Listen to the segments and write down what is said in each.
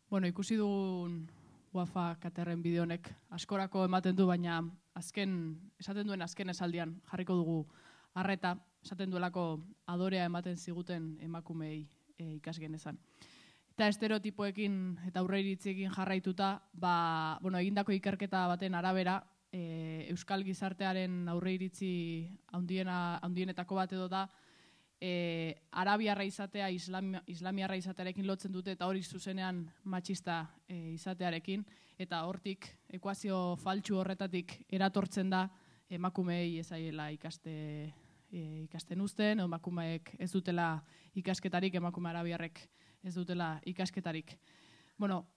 Bueno, ikusi dugun Wafa Katerren bideo honek askorako ematen du, baina esaten duen azken esaldian jarriko dugu arreta, esaten duelako adorea ematen ziguten emakumei ikasgenezan. Eta estereotipoekin eta aurreiritziekin jarraituta, egindako ikerketa baten arabera, euskal gizartearen aurreiritzi handienetako bat edo da, arabiarra izatea islamiarra izatearekin lotzen dute eta hori zuzenean matxista izatearekin, eta hortik ekuazio faltsu horretatik eratortzen da emakumeei ezaiela ikasten uzten, emakumeek ez dutela ikasketarik, emakume arabiarrek ez dutela ikasketarik. Bueno,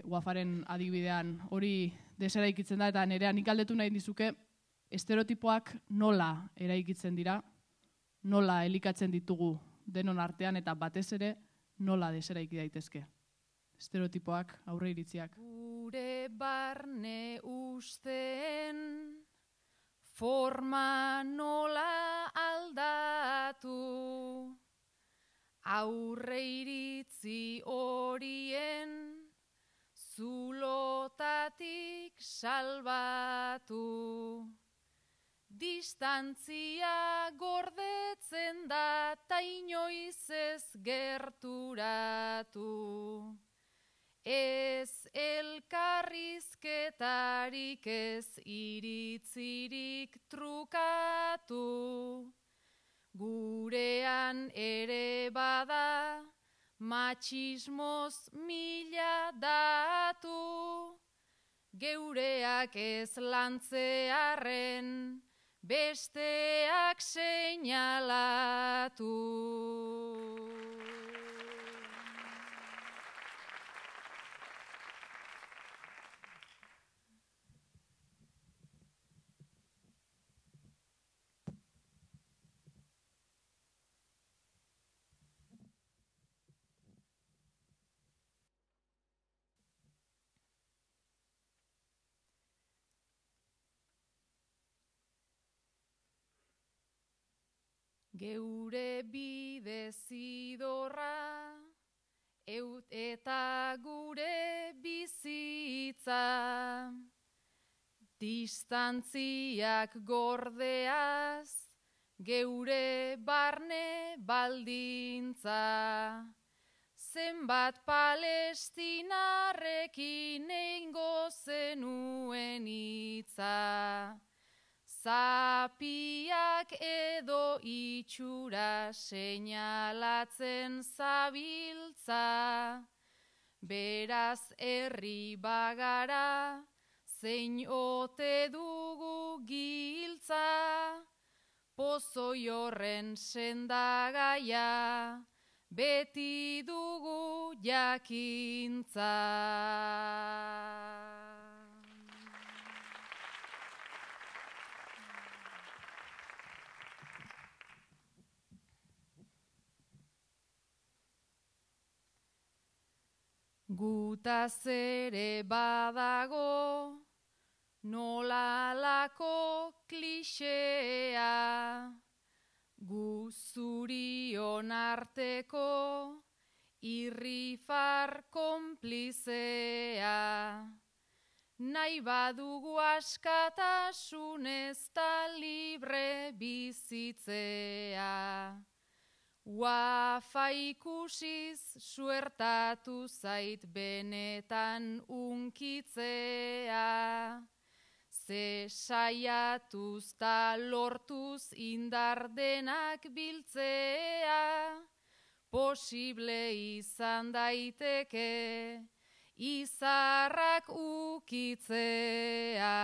Wafaren adibidean hori deseraikitzen da, eta nerea nik galdetu nahi dizuke estereotipoak nola eraikitzen dira, nola elikatzen ditugu denon artean, eta batez ere nola deseraiki daitezke. Estereotipoak, aurreiritziak. Gure barne usteen forma nola aldatu, aurreiritzi horien zulotatik salbatu. Distantzia gordetzen da ta inoiz ez gerturatu. Ez elkarrizketarik, ez iritzirik trukatu. Gurean ere bada matxismoz mila datu. Geureak ez lantzearren besteak seinalatu. Geure bide zidorra, eta gure bizitza, distantziak gordeaz, geure barne baldintza. Zenbat palestinarrekin eingo zenuen hitza. Zapiak edo itxura seinalatzen zabiltza, beraz herri bagara zein ote dugu giltza, pozoi horren sendagaia beti dugu jakintza. Gutaz ere badago nolalako klixea, gu zurion arteko irrifar konplizea. Nahi badugu askatasunez ta libre bizitzea. Wafa ikusiz suertatu zait benetan unkitzea. Ze saiatuz ta lortuz indar denak biltzea. Posible izan daiteke izarrak ukitzea.